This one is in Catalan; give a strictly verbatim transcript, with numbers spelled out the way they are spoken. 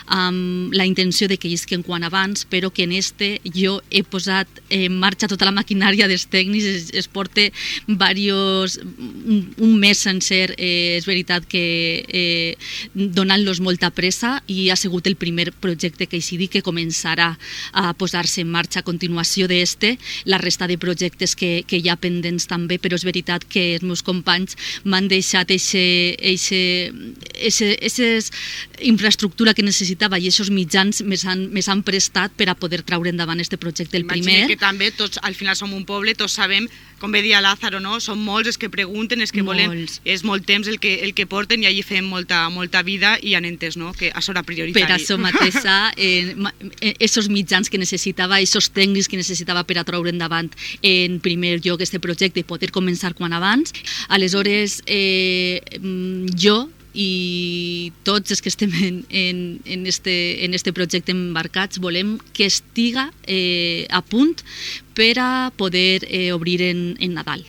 amb la intenció de que isquen quan abans, però que en este jo he posat en marxa tota la maquinària dels tècnics, es, es porta varios, un, un mes sencer, eh, és veritat que eh, donant-los molta pressa, i ha sigut el primer projecte que així dic que començarà a posar-se en marxa a continuació d'este, la resta de projectes que, que hi ha pendents també, però és veritat que els meus companys m'han deixat aquesta infraestructura que necessitava i aquests mitjans més han, més han prestat per a poder treure endavant este projecte. El Imagina primer... que també tots, al final som un poble, tots sabem, com bé dia Lázaro, no? Són molts els que pregunten, els que volen, Molts. és molt temps el que, el que porten i allí fem molta, molta vida i han entès, no?, que això era prioritari. Per això mateixa, eh, esos mitjans que necessitava, esos tècnics que necessitava per a treure endavant en primer lloc este projecte i poder començar quan abans. Aleshores, eh, jo i tots els que estem en, en, en, este, en este projecte embarcats volem que estiga eh, a punt per a poder eh, obrir en, en Nadal.